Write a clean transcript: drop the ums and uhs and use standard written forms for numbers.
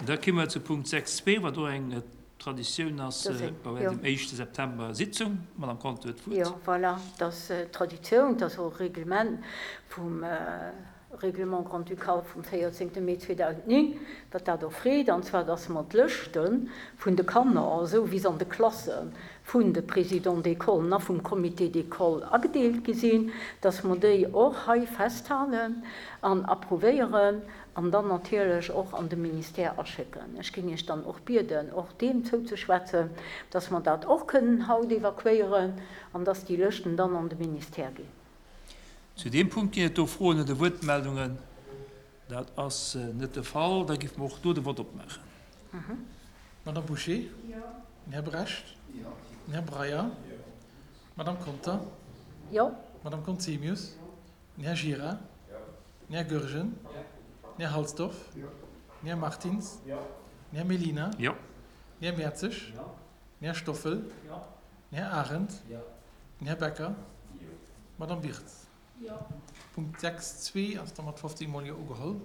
Da komme mer zu Punkt 6.2, wat och eng Traditioun ass bei dem éischte September Sitzung. D'Madame Conter huet d'Wuert. Jo, voilà, dat ass Traditioun, dat ass och e Reglement vum Règlement grand-ducal vum 14 Mee 2009, wat dat och freet, an zwar dass mer d'Lëschte vun de Kanner, esou wéi se an de Klasse vun de Présidents d'écolen a vum Comité d'école agedeelt gi sinn, dass mer déi och hei festhalen an approuvéieren an dann natierlech och an de Ministère aschécken. Ech géing Iech dann och bieden, och deem zouzeschwätzen, dass mer dat och kënnen haut evakuéieren an dass déi Lëschten dann an de Ministère ginn. Zu deem Punkt ginn et do Froen oder Wuertmeldungen? Dat ass net de Fall. Da géife mer och do de Vott opmaachen. Madame Bouché? Den Här Brecht? Den Här Breyer? D'Madame Conter? Jo. D'Madame Conzemius? Den Här Gira? Den Här Goergen? Den Här Halsdorf? Den Här Martins? Den Här Mellina? Jo. Den Här Mertzig? Den Här Stoffel? Den Här Arendt? Den Här Becker? D'Madame Wirtz? Punkt 6.2 ass da mat 15 mol Jo ugeholl.